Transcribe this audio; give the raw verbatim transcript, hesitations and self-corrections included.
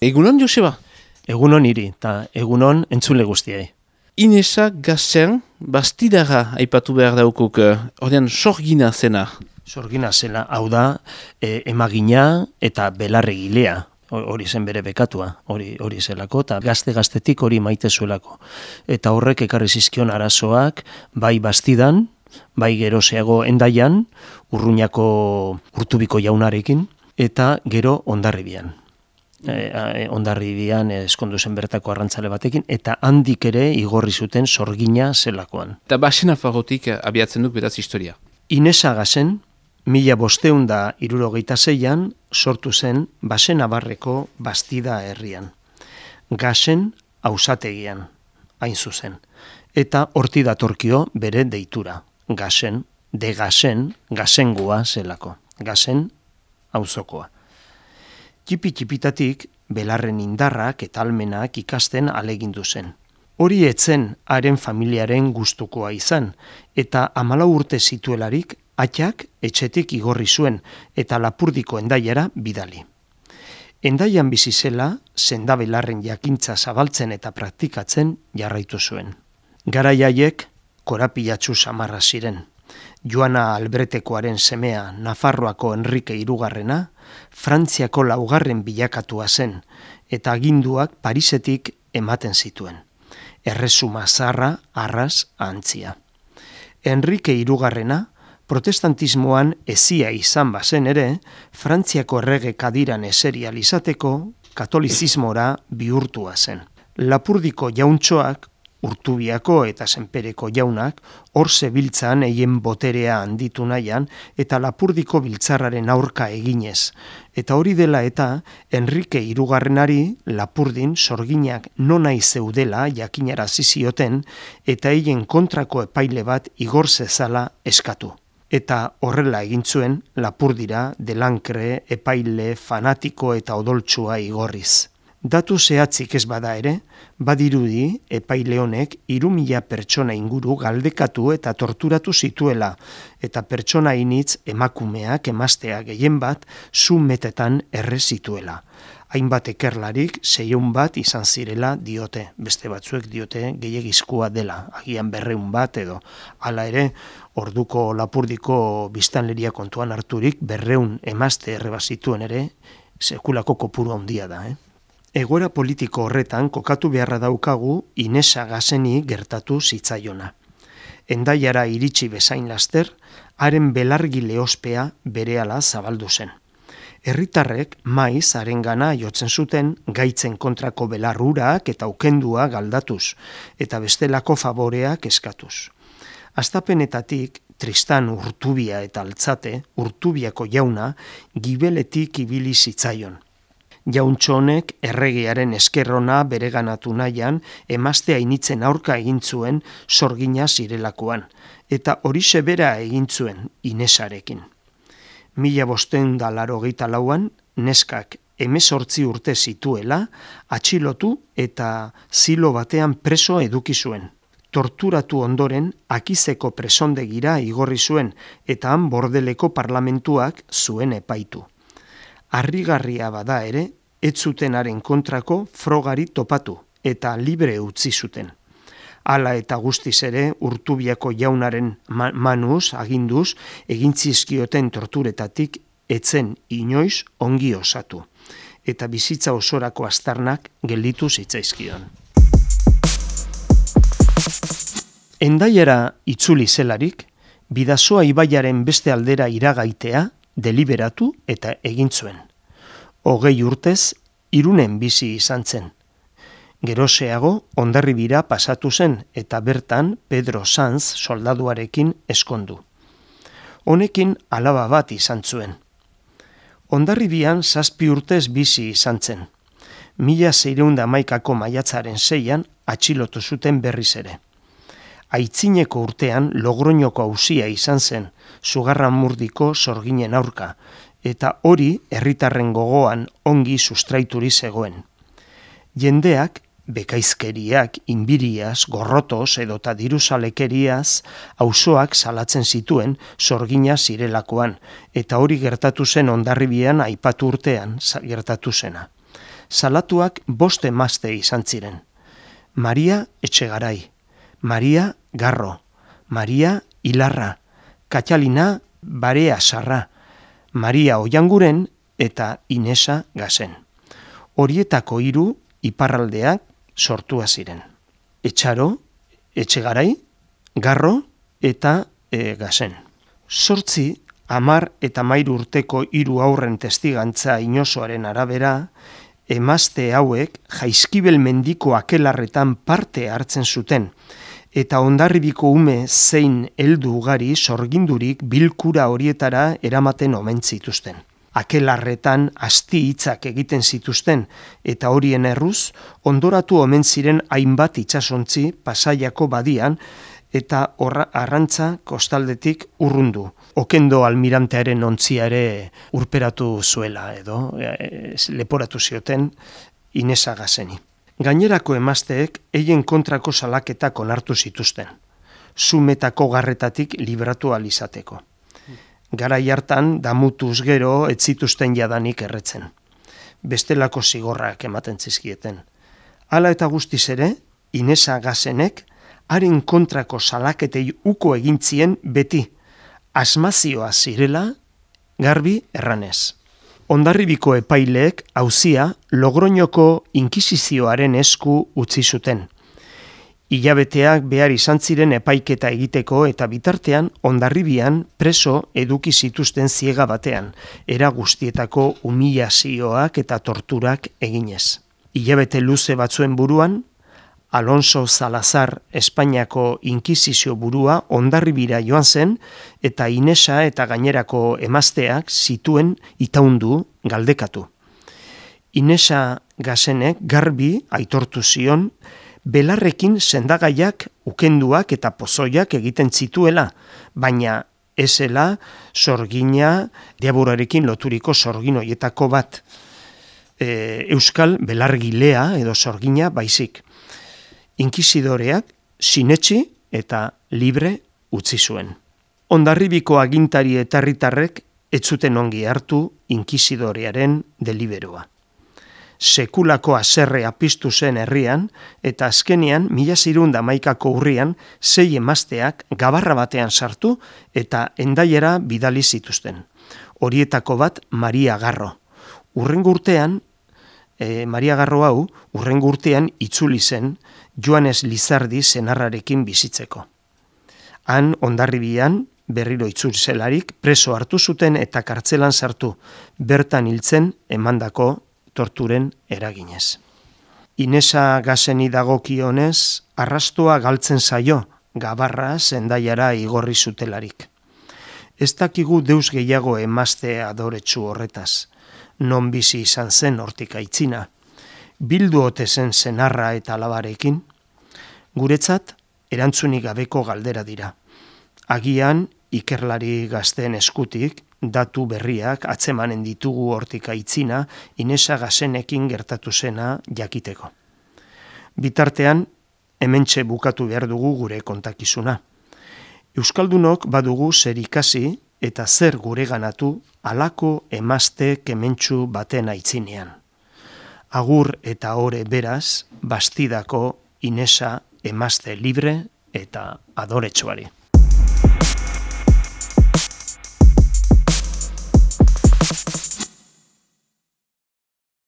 Egunon, Joseba? Egunon hiri, eta egunon entzule guztiei. Inesa Gazen, bastidara aipatu behar daukuk, ordean sorgina zena. Sorgina zela, hau da, e, emagina eta belarregilea, hori zen bere bekatua, hori hori zelako, eta gazte-gaztetik hori maite zuelako. Eta horrek ekarri zizkion arazoak, bai bastidan, bai geroseago endaian, Urruñako Urtubiko jaunarekin, eta gero Hondarribian. E, Hondarribian eskondu zen bertako arrantzale batekin, eta handik ere igorri zuten sorgina zelakoan. Eta basena fagotik abiatzen duk beraz historia. Inesa Gazen, mila bosteun da hirurogeita seian sortu zen Basen Abarreko Bastida herrian. Gazen ausategian, hain zuzen. Eta horti datorkio bere deitura. Gazen, de Gazen, gazengua zelako. Gazen auzokoa. Txipi-txipitatik belarren indarrak eta almenak ikasten alegindu zen. Hori etzen haren familiaren gustukoa izan, eta hamalau urte zituelarik atxak etxetik igorri zuen eta Lapurdiko endaiara bidali. Endaian bizi zela, sendabelarren jakintza zabaltzen eta praktikatzen jarraitu zuen. Garai haiek korapilatsu samarra ziren. Joana Albretekoaren semea Nafarroako Enrike hirugarrena, Frantziako laugarren bilakatua zen, eta aginduak Parisetik ematen zituen. Erresuma zarra, arras, antzia. Enrike hirugarrena, protestantismoan ezia izan bazen ere, Frantziako errege kadiran eserial izateko katolizismora bihurtua zen. Lapurdiko jauntxoak, Urtubiako eta Senpereko jaunak, hor zebiltzan eien boterea handitu nahian eta Lapurdiko biltzarraren aurka eginez. Eta hori dela eta Enrike hirugarrenari Lapurdin sorginak nonai zeudela jakinarazi zioten eta eien kontrako epaile bat igor zezala eskatu. Eta horrela egin zuen Lapurdira delankre, epaile, fanatiko eta odoltsua igorriz. Datu zehatzik ez bada ere, badirudi epaile honek hiru mila pertsona inguru galdekatu eta torturatu zituela, eta pertsona initz emakumeak emaztea gehien bat zu metetan erre zituela. Hainbat ekerlarik seiehun bat izan zirela diote, beste batzuek diote gehiegizkoa dela, agian berreun bat edo. Hala ere, orduko Lapurdiko biztanleria kontuan harturik berreun emazte erre bazituen ere, sekulako kopuru handia da, eh? Egoera politiko horretan kokatu beharra daukagu Inesa Gazeni gertatu zitzaiona. Endaiara iritsi bezain laster, haren belargile ospea berehala zabaldu zen. Herritarrek maiz harengana jotzen zuten gaitzen kontrako belarrurak eta ukendua galdatuz, eta bestelako faboreak eskatuz. Astapenetatik Tristan Urtubia eta Altzate, Urtubiako jauna, gibeletik ibili zitzaion. Jauntxo honek erregearen eskerrona bereganatu nahian emaztea initzen aurka egin zuen sorgina zirelakoan, eta horixe bera egin zuen Inesarekin. Mila bosteun da laurogeita lauan, neskak hemezortzi urte zituela, atxilotu eta zilo batean preso eduki zuen. Torturatu ondoren Akizeko presondegira igorri zuen, eta han Bordeleko parlamentuak zuen epaitu. Harrigarria bada ere, ez zutenaren kontrako frogari topatu eta libre utzi zuten. Hala eta guztiz ere Urtubiako jaunaren manuz, aginduz, egin zizkioten torturetatik etzen inoiz ongi osatu. Eta bizitza osorako aztarnak gelditu zitzaizkion. Endaiara itzuli zelarik, Bidasoa ibaiaren beste aldera iragaitea deliberatu eta egin zuen. Hogei urtez, Irunen bizi izan zen. Geroseago, Hondarribira pasatu zen eta bertan Pedro Sanz soldaduarekin eskondu. Honekin alaba bat izan zuen. Hondarribian zazpi urtez bizi izan zen. Mila seiehun eta hamaikako maiatzaren seian atxilotu zuten berriz ere. Aitzineko urtean Logroñoko auzia izan zen, Zugarramurdiko sorginen aurka, eta hori herritarren gogoan ongi sustraituri zegoen. Jendeak, bekaizkeriak, inbiriaz, gorrotoz edota diruzalekeriaz, auzoak salatzen zituen sorgina zirelakoan, eta hori gertatu zen Hondarribian aipatu urtean gertatu zena. Salatuak bost emazte izan ziren. Maria Etxegarai, Maria Garro, Maria Ilarra, Katalina Barea Sarra, Maria Oianguren eta Inesa Gasen. Horietako hiru iparraldeak sortua ziren. Etxaro, Etxegarai, Garro eta e, Gasen. Sortzi, hamar eta hamairu urteko hiru haurren testigantza inozoaren arabera, emazte hauek Jaizkibel mendiko akelarretan parte hartzen zuten, eta Hondarribiko ume zein heldu ugari sorgindurik bilkura horietara eramaten omen zituzten. Akelarretan asti hitzak egiten zituzten, eta horien erruz, ondoratu omen ziren hainbat itsasontzi Pasaiako badian, eta horra arrantza kostaldetik urrundu. Okendo almirantearen ontzia ere urperatu zuela edo e, leporatu zioten Inesa Gaseni. Gainerako emazteek eien kontrako salaketak onartu zituzten, sumetako garretatik libratu alizateko. Garai hartan damutuz gero ez zituzten jadanik erretzen. Bestelako zigorrak ematen zizkieten. Hala eta guztiz ere, Inesa Gasenek haren kontrako salaketei uko egintzien beti, asmazioa zirela garbi erranez. Hondarribiko epaileek auzia Logroñoko inkisizioaren esku utzi zuten. Hilabeteak behar izan ziren epaiketa egiteko eta bitartean Hondarribian preso eduki zituzten ziega batean, era guztietako humilazioak eta torturak eginez. Hilabete luze batzuen buruan, Alonso Salazar Espainiako inkisizio burua Hondarribira joan zen eta Inesa eta gainerako emazteak zituen itaundu galdekatu. Inesa Gasenek garbi aitortu zion belarrekin sendagaiak, ukenduak eta pozoiak egiten zituela, baina ezela sorgina diaburarekin loturiko sorgin hoietako bat. E, Euskal belargilea edo sorgina baizik. Inkisidoreak sinetsi eta libre utzi zuen. Hondarribiko agintari eta herritarrek ez zuten ongi hartu inkisidorearen deliberoa. Sekulako haserrea piztu zen herrian eta azkenean mila seiehun eta hamaikako urrian sei emazteak gabarra batean sartu eta Hendaiara bidali zituzten. Horietako bat Maria Garro. Hurrengo urtean, e, Maria Garro hau, hurrengo urtean itzuli zen Joanes Lizardi senarrarekin bizitzeko. Han Hondarribian berriro itzuli zelarik preso hartu zuten eta kartzelan sartu, bertan hiltzen emandako torturen eraginez. Inesa Gaseni dagokionez, arrastoa galtzen zaio, gabarra Hendaiara igorri zutelarik. Ez dakigu deus gehiago emazte adoretsu horretaz, non bizi izan zen hortik aitzina, bildu ote zen senarra eta alabarekin, guretzat erantzunik gabeko galdera dira. Agian ikerlari gazteen eskutik, datu berriak atzemanen ditugu hortik aitzina Inesa Gasenekin gertatu zena jakiteko. Bitartean, hementxe bukatu behar dugu gure kontakizuna. Euskaldunok badugu zer ikasi eta zer gureganatu halako emazte kementsu baten aitzinean. Agur eta ore beraz, Bastidako Inesa emazte libre eta adoretsuari.